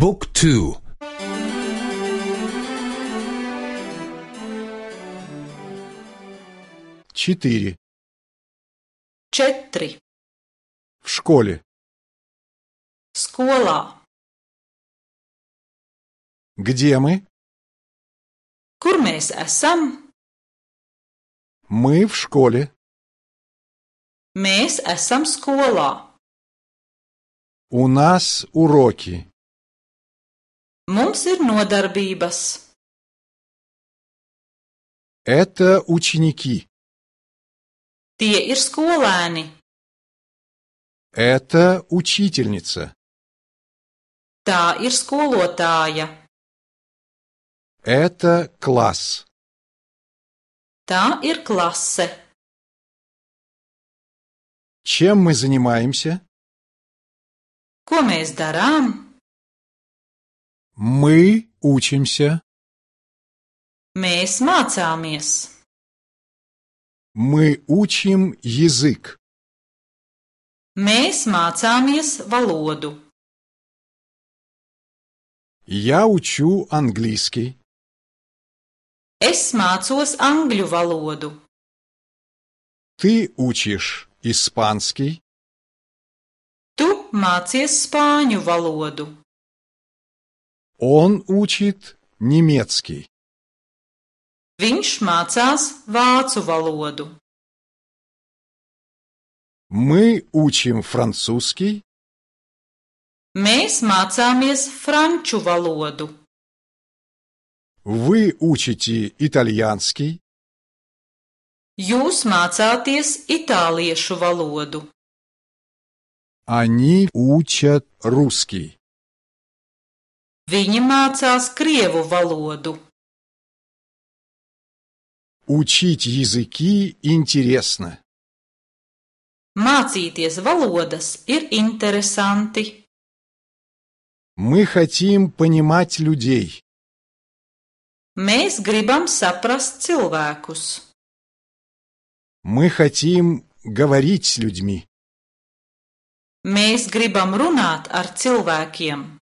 บุ๊กทู4. Četri. В школе. Skolā. Где мы? Kur mēs esam? Мы в школе. Mēs esam skolā. У нас уроки. Mums ir nodarbības. Это ученики. Tie ir skolēni. Это учительница. Tā ir skolotāja. Это класс. Tā ir klase. Чем мы занимаемся? Ko mēs darām? Мы учимся. Mēs mācāmies. Мы учим язык. Mēs mācāmies valodu. Я учу английский. Es mācos angļu valodu. Ты учишь испанский. Tu mācies spāņu valodu. Он учит немецкий. Viņš mācās vācu valodu. Мы учим французский. Mēs mācāmies franču valodu. Вы учите итальянский. Jūs mācāties itāliešu valodu. Они учат русский. Viņi mācās krievu valodu. Учить языки интересно. Mācīties valodas ir interesanti. Мы хотим понимать людей. Mēs gribam saprast cilvēkus. Мы хотим говорить с людьми. Mēs gribam runāt ar cilvēkiem.